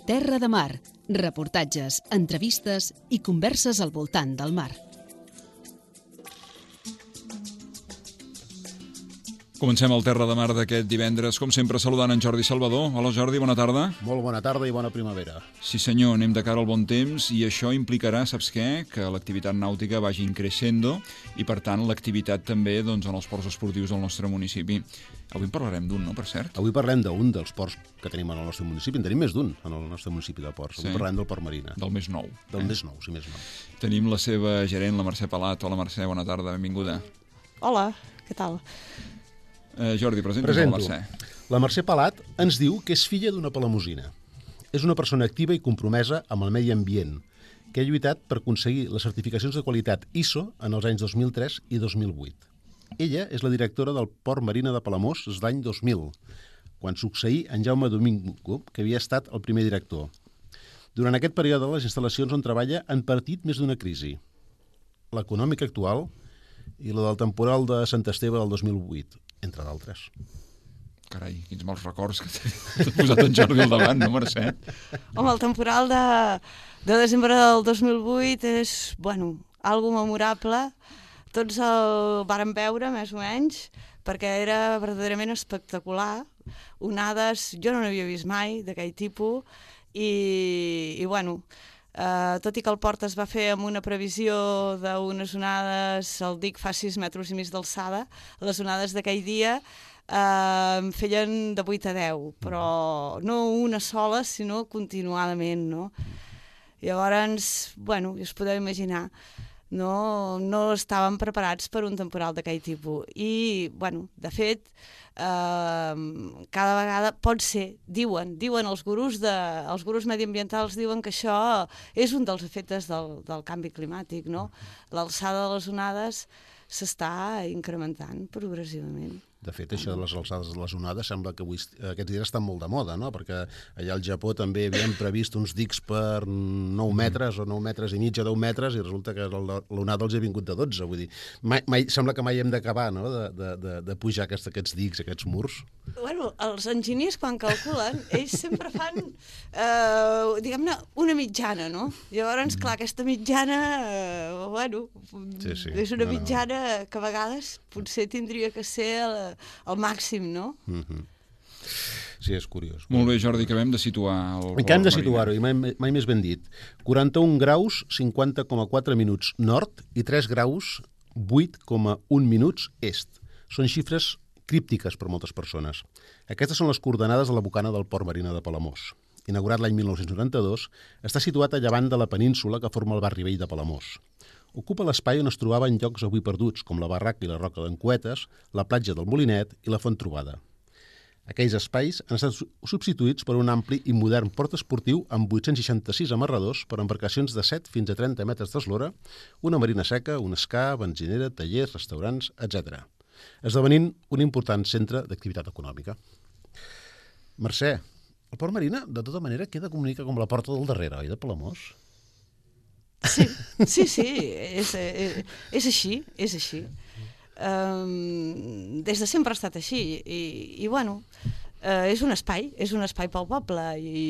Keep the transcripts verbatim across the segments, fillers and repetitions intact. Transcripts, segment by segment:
Terra de Mar, reportatges, entrevistes i converses al voltant del mar. Comencem el Terra de Mar d'aquest divendres, com sempre saludant en Jordi Salvador. Hola Jordi, bona tarda. Molt bona tarda i bona primavera. Sí senyor, anem de cara al bon temps i això implicarà, saps què? Que l'activitat nàutica vagi creixendo i per tant l'activitat també doncs, en els ports esportius del nostre municipi. Avui en parlarem d'un, no, per cert? Avui parlem d'un dels ports que tenim en el nostre municipi. En tenim més d'un en el nostre municipi de ports. Avui Sí. parlem del Port Marina. Del més nou. Del més nou, sí, més nou. Tenim la seva gerent, la Mercè Palat. Hola Mercè, bona tarda, benvinguda. Hola, què tal? Eh, Jordi, presenta la Presento. Mercè. La Mercè Palat ens diu que és filla d'una palamosina. És una persona activa i compromesa amb el medi ambient, que ha lluitat per aconseguir les certificacions de qualitat I S O en els anys dos mil tres i dos mil vuit. Ella és la directora del Port Marina de Palamós des l'any dos mil, quan succeí en Jaume Domingo, que havia estat el primer director. Durant aquest període, les instal·lacions on treballa han patit més d'una crisi. L'econòmica actual i la del temporal de Sant Esteve del dos mil vuit, entre d'altres. Carai, quins mals records que t'ha posat en Jordi al davant, no, Mercè? Home, el temporal de, de desembre del dos mil vuit és, bueno, algo memorable. Tots el vàrem veure, més o menys, perquè era verdaderament espectacular. Onades, jo no n'havia vist mai, d'aquell tipus, i, i bueno, eh, tot i que el port es va fer amb una previsió d'unes onades, el dic fa sis metres i mig d'alçada, les onades d'aquell dia eh, feien de vuit a deu, però no una sola, sinó continuadament, no? Llavors, bueno, us podeu imaginar, no, no estàvem preparats per un temporal d'aquell tipus. I, bueno, de fet, eh, cada vegada pot ser, diuen, diuen els gurus, de, els gurus mediambientals diuen que això és un dels efectes del, del canvi climàtic, no? L'alçada de les onades s'està incrementant progressivament. De fet, això de les alçades de les onades sembla que avui, aquests dies estan molt de moda, no? Perquè allà al Japó també havien previst uns dics per nou metres o nou metres i mig a deu metres i resulta que l'onada els ha vingut de dotze. Vull dir, mai, mai, sembla que mai hem d'acabar, no?, de, de, de, de pujar aquests, aquests dics, aquests murs. Bueno, els enginyers, quan calculen, ells sempre fan, eh, diguem-ne, una mitjana, no? Llavors, clar, aquesta mitjana, eh, bueno, sí, sí. és una no, no. mitjana que a vegades potser tindria que ser el, el màxim, no? Mm-hmm. Sí, és curiós. Molt bé, Jordi, acabem de situar el I que hem de Port situar-ho, i mai, mai més ben dit. quaranta-un graus, cinquanta coma quatre minuts nord i tres graus, vuit coma un minuts est. Són xifres críptiques per moltes persones. Aquestes són les coordenades de la bocana del Port Marina de Palamós. Inaugurat l'any mil nou-cents noranta-dos, està situat a llevant de la península que forma el barri vell de Palamós. Ocupa l'espai on es trobaven llocs avui perduts, com la Barraca i la Roca d'en Cuetes, la platja del Molinet i la Font Trobada. Aquells espais han estat substituïts per un ampli i modern port esportiu amb vuit-cents seixanta-sis amarradors per embarcacions de set fins a trenta metres d'eslora, una marina seca, un escà, benzinera, tallers, restaurants, etcètera, esdevenint un important centre d'activitat econòmica. Mercè, el Port Marina, de tota manera, queda comunica com la porta del darrere, oi, de Palamós? Sí, sí, sí, és, és, és així, és així. Um, des de sempre ha estat així i, i bueno, uh, és un espai, és un espai pel poble i,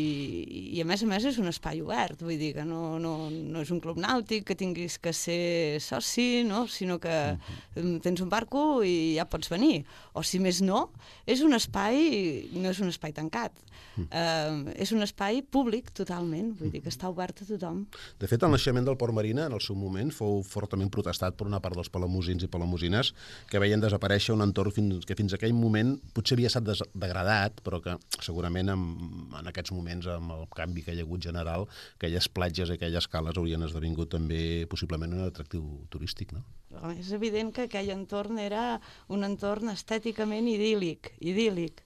i a més a més és un espai obert, vull dir que no, no, no és un club nàutic que tinguis que ser soci, no? Sinó que uh-huh. tens un barco i ja pots venir, o si més no, és un espai, no és un espai tancat. Uh, és un espai públic totalment, vull dir que està obert a tothom. De fet, el naixement del Port Marina en el seu moment fou fortament protestat per una part dels palamosins i palamosines que veien desaparèixer un entorn fins, que fins a aquell moment potser havia estat degradat, però que segurament en, en aquests moments, amb el canvi que hi ha hagut general, aquelles platges i aquelles cales haurien esdevingut també possiblement un atractiu turístic, no? És evident que aquell entorn era un entorn estèticament idíl·lic, idíl·lic.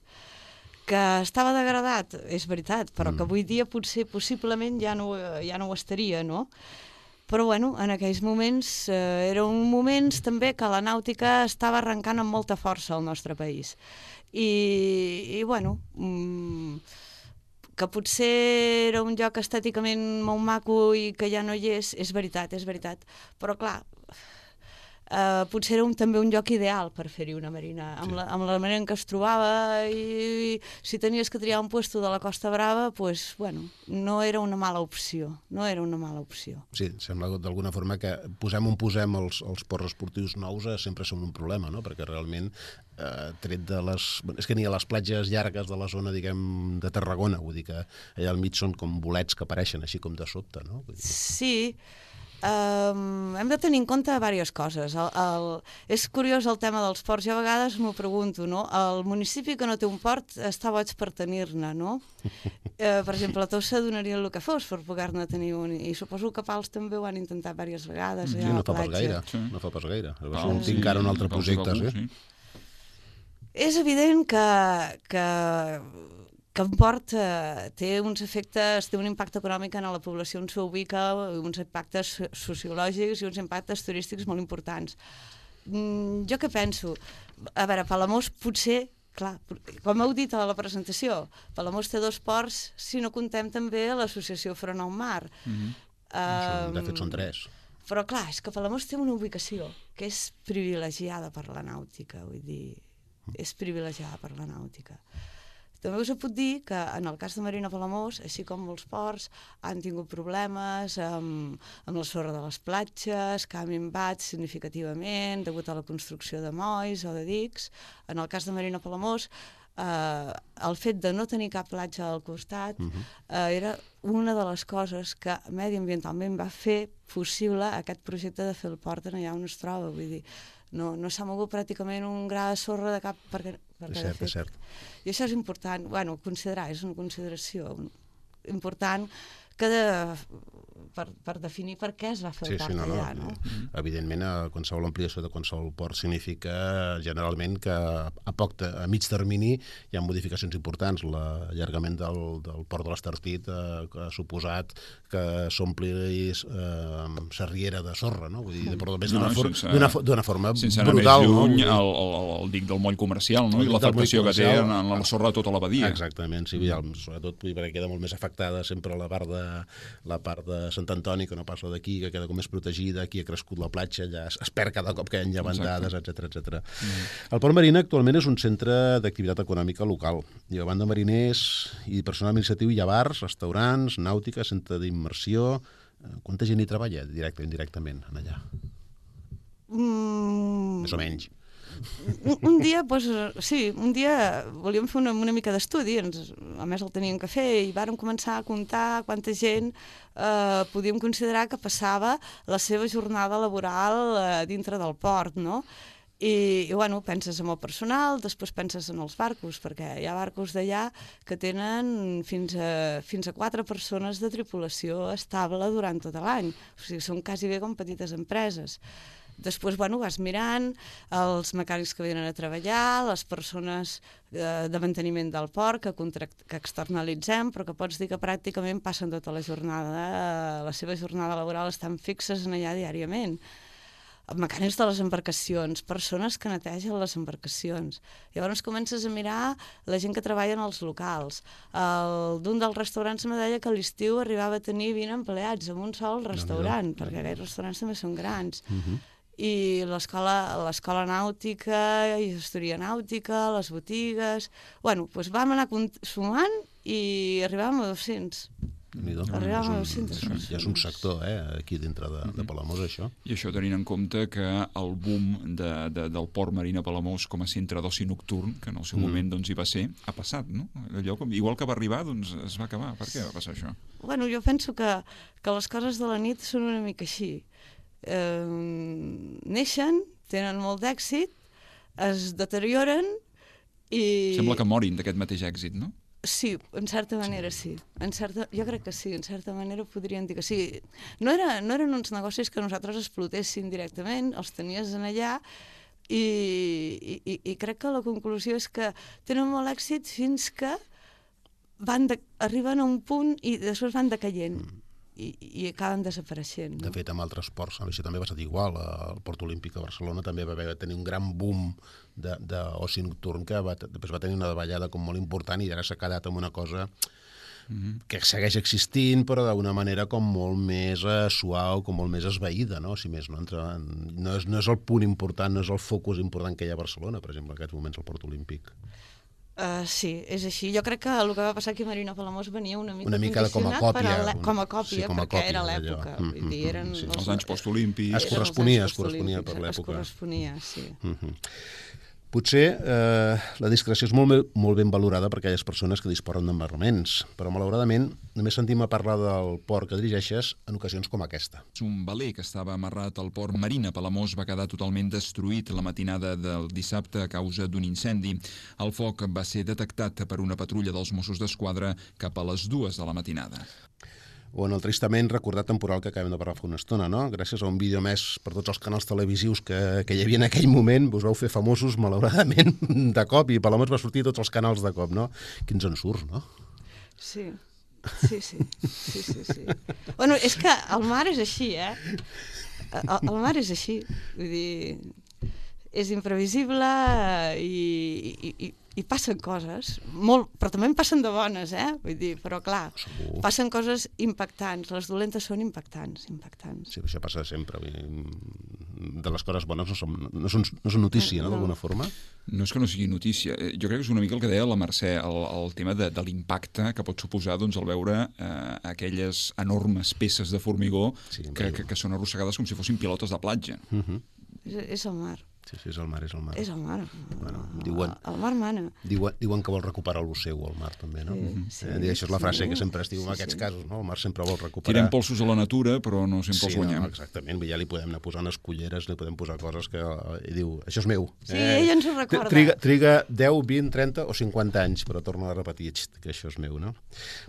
Que estava degradat, és veritat, però que avui dia potser possiblement ja no, ja no ho estaria, no? Però bueno, en aquells moments eh, eren moments també que la nàutica estava arrencant amb molta força al nostre país. I, i bueno, mmm, que potser era un lloc estèticament molt maco i que ja no hi és, és veritat, és veritat. Però clar, Uh, potser era un, també un lloc ideal per fer-hi una marina, amb, sí. la, amb la manera en què es trobava, i, i si tenies que triar un puesto de la Costa Brava, pues, bueno, no era una mala opció, no era una mala opció. Sí, sembla d'alguna forma que posem on posem els, els ports esportius nous eh, sempre són un problema, no? Perquè realment, eh, tret de les... És que ni a les platges llargues de la zona, diguem, de Tarragona, vull dir que allà al mig són com bolets que apareixen així com de sobte, no? Vull dir... Sí, Um, hem de tenir en compte diverses coses. El, el, és curiós el tema dels ports. Jo a vegades m'ho pregunto, no? El municipi que no té un port està boig per tenir-ne, no? Uh, per exemple, a Tossa donarien el que fos per poder-ne tenir un. I suposo que Pals també ho han intentat diverses vegades. Sí, no fa pas gaire. Sí. No fa pas gaire. Va ser un sí, encara un altre projecte. Sí. Sí. És evident que... que que en port eh, té uns efectes, té un impacte econòmic en la població on s'ubica, uns impactes sociològics i uns impactes turístics molt importants. Mm, jo què penso? A veure, Palamós potser, clar, com heu dit a la presentació, Palamós té dos ports, si no contem també l'associació Front al Mar. Mm-hmm. um, de fet són tres. Però clar, és que Palamós té una ubicació que és privilegiada per la nàutica, vull dir, és privilegiada per la nàutica. També us puc dir que en el cas de Marina Palamós, així com molts ports, han tingut problemes amb, amb la sorra de les platges, que ha minvat significativament degut a la construcció de molls o de dics. En el cas de Marina Palamós, eh, el fet de no tenir cap platja al costat uh-huh. eh, era una de les coses que mediambientalment va fer possible aquest projecte de fer el port en allà on es troba. Vull dir, no, no s'ha mogut pràcticament un gra de sorra de cap... Perquè, perquè és cert, és cert. I això és important, bueno, considerar, és una consideració important que de, per, per definir per què es va fer el sí, port sí, no, allà, no? no? Evidentment, qualsevol ampliació de qualsevol port significa generalment que a poc, a mig termini hi ha modificacions importants. L'allargament del, del port de l'Estartit eh, ha suposat que s'ompli eh, Sarriera de sorra, no? Vull dir, però més d'una no, for, sense, forma sense brutal. Sense anar més lluny, no? el, el, el dic del moll comercial, no? I l'afectació que té en, en la sorra de tota la badia. Exactament, sí, mm. sobretot perquè queda molt més afectada sempre la part de la part de Sant Antoni, que no passa d'aquí, que queda com més protegida, aquí ha crescut la platja, ja es, es perd cada cop que hi ha llevantades, etcètera, etcètera. Mm. El Port Marina actualment és un centre d'activitat econòmica local. Hi ha banda mariners i personal administratiu, hi ha bars, restaurants, nàutica, centre d'immersió. Quanta gent hi treballa directe o indirectament en allà? Mm. Més o menys. Un, un dia, doncs, sí, un dia volíem fer una, una mica d'estudi, ens, a més el teníem que fer, i vàrem començar a comptar quanta gent eh, podíem considerar que passava la seva jornada laboral eh, dintre del port, no? I, i bueno, penses en el personal, després penses en els barcos, perquè hi ha barcos d'allà que tenen fins a, fins a quatre persones de tripulació estable durant tot l'any, o sigui, són quasi bé com petites empreses. Després, bueno, vas mirant els mecànics que venen a treballar, les persones eh, de manteniment del port que, contract, que externalitzem, però que pots dir que pràcticament passen tota la jornada, eh, la seva jornada laboral estan fixes en allà diàriament. Mecànics de les embarcacions, persones que netegen les embarcacions. Llavors comences a mirar la gent que treballa en els locals. D'un dels restaurants me deia que a l'estiu arribava a tenir vint empleats en un sol restaurant, no, no. perquè aquests restaurants també són grans. Uh-huh. I l'escola nàutica, i gestoria nàutica, les botigues... Bueno, doncs vam anar sumant i arribàvem a dos-cents. Arribàvem a dos-cents. Ja és un sector, eh, aquí dintre de, de Palamós, això. I això tenint en compte que el boom de, de, del Port Marina Palamós com a centre d'oci nocturn, que en el seu mm. moment doncs, hi va ser, ha passat, no? Allò, com, igual que va arribar, doncs es va acabar. Per què va passar això? Bueno, jo penso que, que les coses de la nit són una mica així. Eh, neixen, tenen molt d'èxit, es deterioren i... Sembla que morin d'aquest mateix èxit, no? Sí, en certa manera sí. En certa, jo crec que sí, en certa manera podríem dir que sí. No, era, no eren uns negocis que nosaltres explotéssim directament, els tenies en allà i, i, i crec que la conclusió és que tenen molt èxit fins que van de, arriben a un punt i després van decaient. Mm. I, i acaben desapareixent. No? De fet, amb altres ports, això també va ser igual. El Port Olímpic de Barcelona també va haver tenir un gran boom d'oci nocturn que va, després va tenir una davallada com molt important i ara s'ha quedat amb una cosa Mm-hmm. que segueix existint, però d'una manera com molt més eh, suau, com molt més esvaïda, no? Si més no, entre, no, és, no és el punt important, no és el focus important que hi ha a Barcelona, per exemple, en aquests moments al Port Olímpic. Uh, sí, és així. Jo crec que el que va passar aquí a Marina Palamós venia una mica, una mica com a còpia, per a com a còpia, sí, com a perquè còpia, era l'època. Mm, Vull dir, eren sí. els, Els anys postolímpics. Es corresponia, es corresponia per l'època. Es corresponia, sí. Mm-hmm. Potser eh, la discreció és molt, molt ben valorada per aquelles persones que disposen d'embarraments, però malauradament només sentim a parlar del port que dirigeixes en ocasions com aquesta. Un veler que estava amarrat al port Marina Palamós va quedar totalment destruït la matinada del dissabte a causa d'un incendi. El foc va ser detectat per una patrulla dels Mossos d'Esquadra cap a les dues de la matinada. O en el tristament recordat temporal que acabem de parlar fa una estona, no? Gràcies a un vídeo més per tots els canals televisius que, que hi havia en aquell moment, us vau fer famosos, malauradament, de cop, i Palamós va sortir tots els canals de cop, no? Quins ensurts, no? Sí, sí, sí, sí, sí, sí. Bueno, és que el mar és així, eh? El, el mar és així, vull dir, és imprevisible i, i, i i passen coses, molt, però també en passen de bones, eh? Vull dir, però clar, Segur. Passen coses impactants, les dolentes són impactants, impactants. Sí, això passa sempre. De les coses bones no són, no són, no són notícia, no, d'alguna forma? No és que no sigui notícia. Jo crec que és una mica el que deia la Mercè, el, el tema de, de l'impacte que pot suposar doncs, el veure eh, aquelles enormes peces de formigó sí, que, que, que són arrossegades com si fossin pilotes de platja. Uh-huh. És, és el mar. Sí, sí, és el mar, és el mar. És el mar. Bueno, diuen, el, el mar mana. Diuen, diuen que vol recuperar el seu, el mar, també, no? Sí, sí, eh, això és la frase sí, que sempre es diu en sí, aquests sí. casos, no? El mar sempre vol recuperar... Tirem polsos a la natura, però no sempre els sí, guanyem. No, exactament, ja li podem anar posant esculleres, li podem posar coses que... I diu, això és meu. Sí, eh, ella ens ho recorda. Triga, triga deu, vint, trenta o cinquanta anys, però torna a repetir que això és meu, no?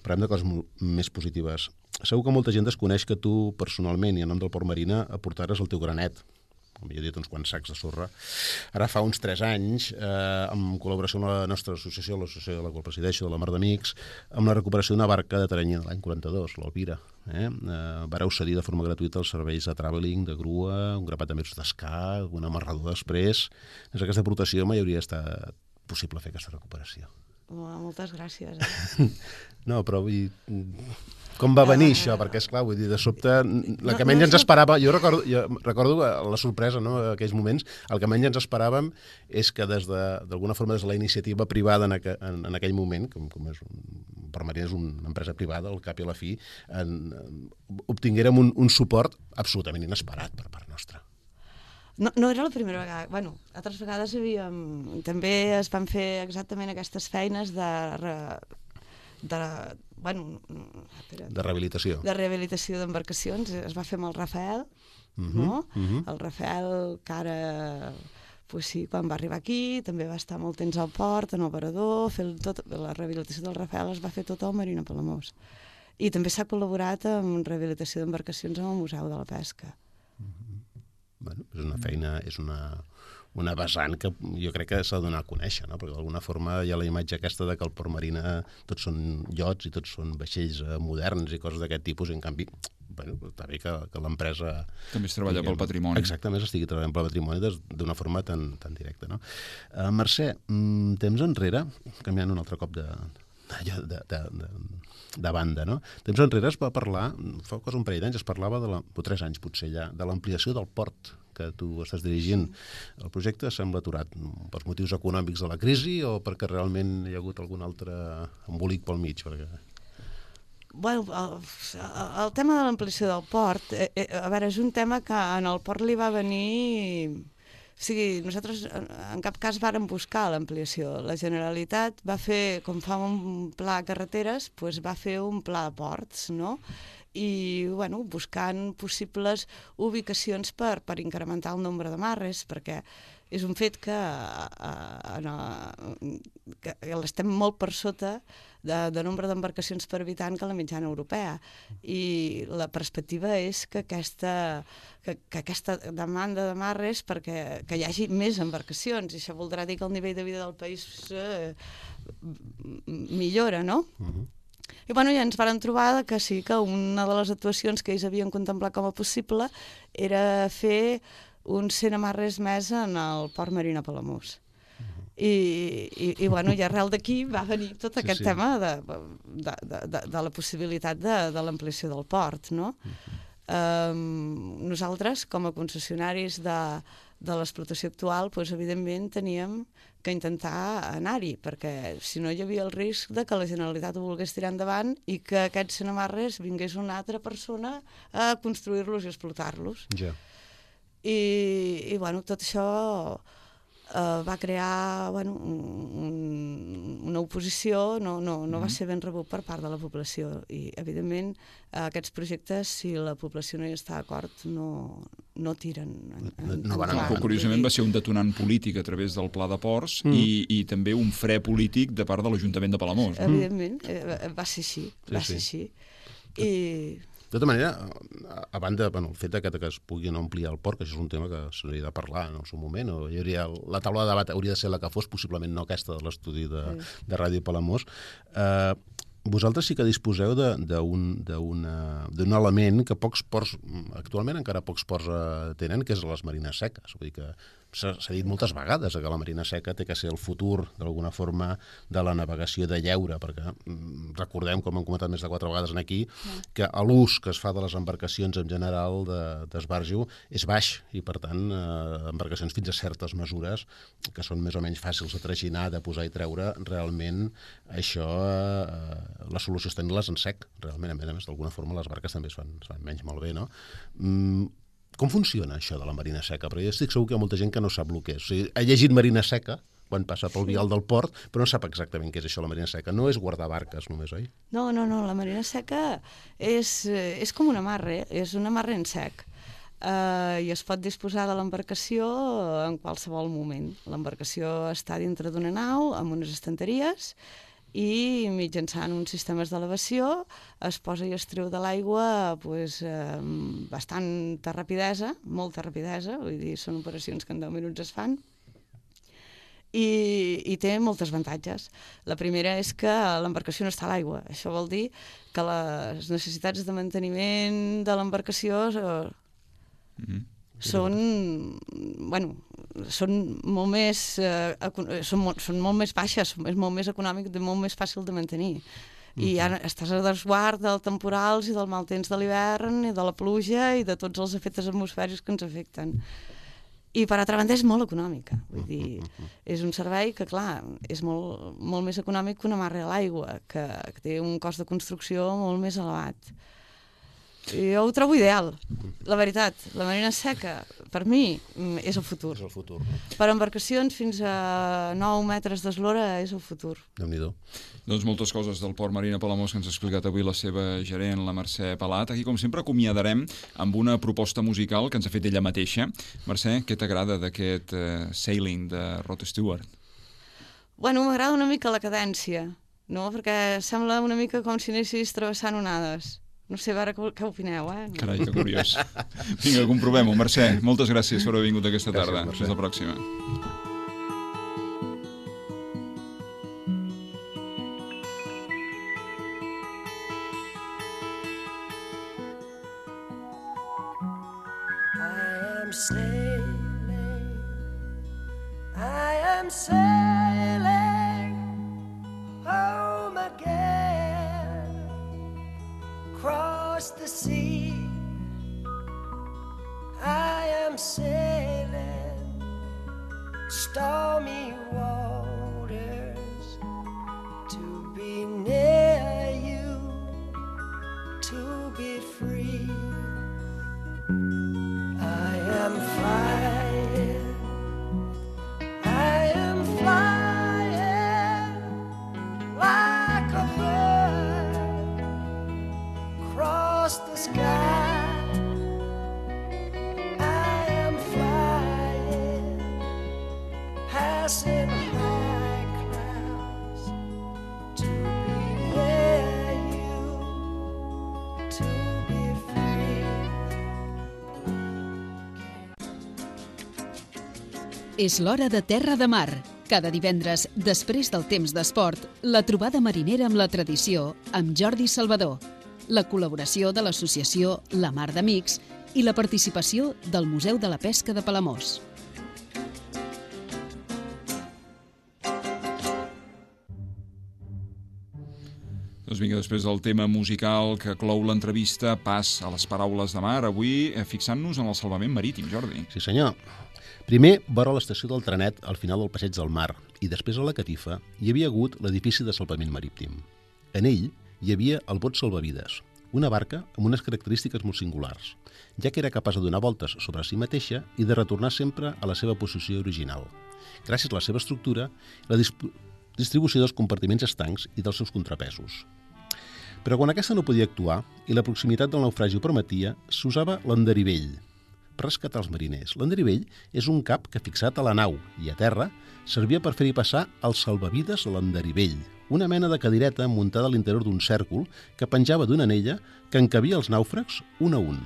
Parlem de coses més positives. Segur que molta gent desconeix que tu, personalment, i en nom del Port Marina, aportares el teu granet, millor dit, uns quants sacs de sorra. Ara fa uns tres anys, eh, en col·laboració amb la nostra associació, l'associació de la qual presideixo, de la Mar d'Amics, amb la recuperació d'una barca de terreny de l'any quaranta-dos, l'Alvira. Eh? Eh, vareu cedir de forma gratuïta els serveis de travelling, de grua, un grapat de metres d'escar, un amarrador després. Des d'aquesta aportació mai hauria estat possible fer aquesta recuperació. Oh, moltes gràcies. Eh? No, però vull dir, com va venir això? Perquè, esclar, vull dir, de sobte, la que menys ens esperava, jo recordo, jo recordo la sorpresa, no?, en aquells moments, el que menys ens esperàvem és que des de, d'alguna forma, des de la iniciativa privada en, aqu en, en aquell moment, com, com és un, Port Marina és una empresa privada, al cap i a la fi, en, en, obtinguérem un, un suport absolutament inesperat per part nostra. No, no era la primera vegada. Bueno, altres vegades havíem... També es van fer exactament aquestes feines de... de bueno, espera, de rehabilitació. De rehabilitació d'embarcacions. Es va fer amb el Rafael, uh-huh, no? Uh-huh. El Rafael, que ara... Pues sí, quan va arribar aquí, també va estar molt temps al port, en operador, fer tot, la rehabilitació del Rafael es va fer tot al Marina Palamós. I també s'ha col·laborat amb rehabilitació d'embarcacions amb el Museu de la Pesca. Uh-huh. Bueno, és una feina, és una, una vessant que jo crec que s'ha de donar a conèixer, no? Perquè d'alguna forma hi ha la imatge aquesta de que el Port Marina tots són iots i tots són vaixells moderns i coses d'aquest tipus, i en canvi, bueno, està bé que, que l'empresa... També es treballa diguem, pel patrimoni. Exactament, estigui treballant pel patrimoni d'una forma tan, tan directa, no? Uh, Mercè, mm, temps enrere, canviant un altre cop de... De, de, de, de banda, no? Temps enrere es va parlar, fa quasi un parell d'anys, es parlava, de la, o tres anys potser ja, de l'ampliació del port que tu estàs dirigint. El projecte sembla aturat pels motius econòmics de la crisi o perquè realment hi ha hagut algun altre embolic pel mig? Perquè... Bueno, el, el tema de l'ampliació del port, eh, eh, a veure, és un tema que en el port li va venir... O sigui, nosaltres en cap cas vàrem buscar l'ampliació. La Generalitat va fer, com fa un pla de carreteres, doncs va fer un pla de ports, no? I, bueno, buscant possibles ubicacions per, per incrementar el nombre de marres, perquè és un fet que, a, a, que l'estem molt per sota de, de nombre d'embarcacions per habitant que la mitjana europea. I la perspectiva és que aquesta, que, que aquesta demanda de marres perquè que hi hagi més embarcacions. I això voldrà dir que el nivell de vida del país eh, millora, no? Uh-huh. I bueno, ja ens vàrem trobar que sí, que una de les actuacions que ells havien contemplat com a possible era fer uns cent amarres més en el Port Marina Palamós. Uh-huh. I, i, i, bueno, i arrel d'aquí va venir tot Sí, aquest sí. tema de, de, de, de, de la possibilitat de, de l'ampliació del port, no? Um, nosaltres, com a concessionaris de, de l'explotació actual, doncs, evidentment teníem que intentar anar-hi, perquè si no hi havia el risc de que la Generalitat ho volgués tirar endavant i que aquests Senamarres vingués una altra persona a construir-los i explotar-los. Ja. I, i bueno, tot això eh, va crear bueno, un, una oposició, no, no, no va ser ben rebut per part de la població i evidentment aquests projectes, si la població no hi està d'acord, no, no tiren en, en, No van endavant. endavant. Però, curiosament, va ser un detonant polític a través del Pla de Ports mm. i, i també un fre polític de part de l'Ajuntament de Palamós. Evidentment, eh, va ser així, Sí, va sí. ser així. I De tota manera, a, a banda, bueno, el fet de que, que es pugui no ampliar el port, que això és un tema que s'hauria de parlar en el seu moment, o hi hauria, la taula de debat hauria de ser la que fos, possiblement no aquesta de l'estudi de, de Ràdio Palamós. Eh, vosaltres sí que disposeu d'un element que pocs ports, actualment encara pocs ports eh, tenen, que és les marines seques. Vull dir que s'ha dit moltes vegades que la marina seca té que ser el futur, d'alguna forma, de la navegació de lleure, perquè mm, recordem, com hem comentat més de quatre vegades aquí, que l'ús que es fa de les embarcacions en general d'esbarjo és baix i, per tant, eh, embarcacions fins a certes mesures que són més o menys fàcils de traginar, de posar i treure, realment això, eh, la solució és tenir-les en sec, realment, a més a més, d'alguna forma les barques també es fan, es fan menys malbé, no? Mm, Com funciona això de la marina seca? Perquè jo estic segur que hi ha molta gent que no sap el que és. O sigui, ha llegit marina seca quan passa pel vial del port, però no sap exactament què és això, la marina seca. No és guardar barques només, oi? no, no, no, la marina seca és, eh, és com un amarre, és un amarre en sec. Uh, i es pot disposar de l'embarcació en qualsevol moment. L'embarcació està dintre d'una nau amb unes estanteries i mitjançant uns sistemes d'elevació es posa i es treu de l'aigua pues, eh, bastanta rapidesa, molta rapidesa, vull dir, són operacions que en deu minuts es fan, i, i té moltes avantatges. La primera és que l'embarcació no està a l'aigua. Això vol dir que les necessitats de manteniment de l'embarcació eh, Mm-hmm. són, bueno, són molt més eh, són, molt, són molt més baixes, és molt més econòmic, molt més fàcil de mantenir. I ja estàs a desguard dels temporals i del mal temps de l'hivern i de la pluja i de tots els efectes atmosfèrics que ens afecten. I per altra banda és molt econòmica, vull dir, és un servei que, clar, és molt, molt més econòmic que un amarre a l'aigua, que, que té un cost de construcció molt més elevat. I jo ho trobo ideal, la veritat. La marina seca, per mi, és el futur. És el futur, no? Per embarcacions fins a nou metres d'eslora és el futur. Déu-n'hi-do. Doncs moltes coses del Port Marina Palamós que ens ha explicat avui la seva gerent, la Mercè Palat. Aquí, com sempre, acomiadarem amb una proposta musical que ens ha fet ella mateixa. Mercè, què t'agrada d'aquest uh, Sailing de Rod Stewart? Bueno, m'agrada una mica la cadència, no? Perquè sembla una mica com si anessis travessant onades. No sé, a veure què, què opineu, eh? Carai, que curiós. Vinga, comprovem-ho. Mercè, moltes gràcies per haver vingut aquesta tarda. Gràcies, Mercè. Fins la pròxima. I am sailing, I am sailing home again, across the sea. I am sailing stormy waters to be near you, to be free. I am flying, I am flying like a bird across the sky. I am flying, passing high clouds to be near you, to be free. És l'hora de Terra de Mar. Cada divendres, després del temps d'esport, la trobada marinera amb la tradició amb Jordi Salvador, la col·laboració de l'associació La Mar d'Amics i la participació del Museu de la Pesca de Palamós. Doncs vinga, després del tema musical que clou l'entrevista, pas a les paraules de mar, avui eh, fixant-nos en el salvament marítim, Jordi. Sí, senyor. Primer, vora l'estació del trenet al final del passeig del mar i després a la catifa hi havia hagut l'edifici de salvament marítim. En ell hi havia el bot salvavides, una barca amb unes característiques molt singulars, ja que era capaç de donar voltes sobre si mateixa i de retornar sempre a la seva posició original, gràcies a la seva estructura i la disp distribució dels compartiments estancs i dels seus contrapesos. Però quan aquesta no podia actuar i la proximitat del naufragi ho permetia, s'usava l'enderivell per rescatar els mariners. L'enderivell és un cap que, fixat a la nau i a terra, servia per fer-hi passar el salvavides a l'enderivell, una mena de cadireta muntada a l'interior d'un cèrcol que penjava d'una anella que encabia els nàufrags un a un.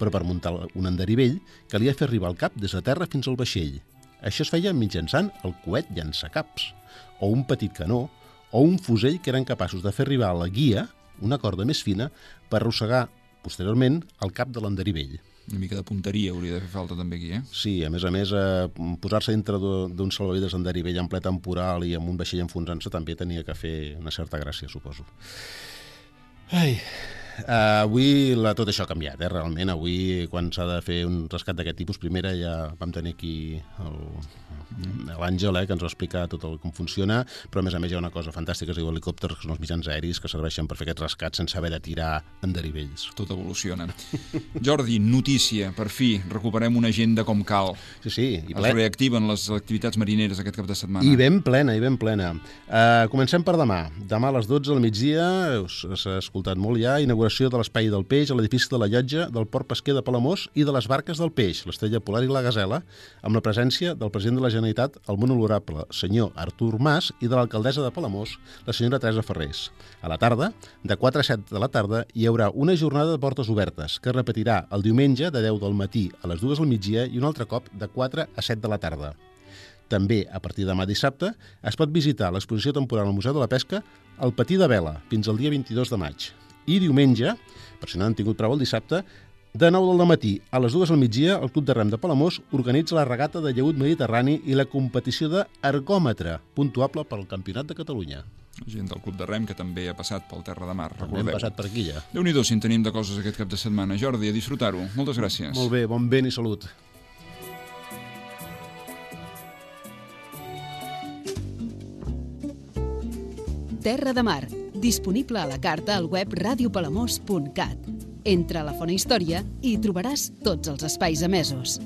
Però per muntar un enderivell calia fer arribar el cap des de terra fins al vaixell. Això es feia mitjançant el coet llançacaps, o un petit canó, o un fusell que eren capaços de fer arribar a la guia una corda més fina per arrossegar, posteriorment, el cap de l'enderivell. Una mica de punteria hauria de fer falta també aquí, eh? Sí, a més a més, eh, posar-se dintre d'un salvavides enderivell en ple temporal i amb un vaixell enfonsant-se també tenia que fer una certa gràcia, suposo. Ai... Uh, avui la, tot això ha canviat, eh? Realment avui quan s'ha de fer un rescat d'aquest tipus, primera ja vam tenir aquí l'Àngel, eh, que ens va explicar tot el, com funciona, però a més a més hi ha una cosa fantàstica, es diu helicòpters, que són els mitjans aeris que serveixen per fer aquests rescats sense haver de tirar enderivells. Tot evoluciona. Jordi, notícia, per fi, recuperem una agenda com cal. Sí, sí, i Es ple. reactiven les activitats marineres aquest cap de setmana. I ben plena, i ben plena. Uh, comencem per demà. Demà a les dotze del migdia, s'ha escoltat molt ja, inauguració de l'Espai del Peix a l'edifici de la Llotja del Port Pesquer de Palamós i de les barques del peix, l'Estrella Polar i la Gasela, amb la presència del president de la Generalitat, el molt honorable senyor Artur Mas, i de l'alcaldessa de Palamós, la senyora Teresa Ferrés. A la tarda, de quatre a set de la tarda, hi haurà una jornada de portes obertes, que es repetirà el diumenge de deu del matí a les dues del migdia i un altre cop de quatre a set de la tarda. També, a partir de demà dissabte, es pot visitar l'exposició temporal al Museu de la Pesca El Patí de Vela, fins al dia vint-i-dos de maig. I diumenge, per si no han tingut prou el dissabte, de nou del matí a les dues del migdia, el Club de Rem de Palamós organitza la regata de llaüt mediterrani i la competició d'ergòmetre, puntuable pel Campionat de Catalunya. Gent del Club de Rem que també ha passat pel Terra de Mar, També hem recordeu. passat per aquí ja. Déu-n'hi-do si en tenim de coses aquest cap de setmana. Jordi, a disfrutar-ho. Moltes gràcies. Molt bé, bon vent i salut. Terra de Mar, disponible a la carta al web radiopalamós punt cat. Entra a la Font Història i hi trobaràs tots els espais emesos.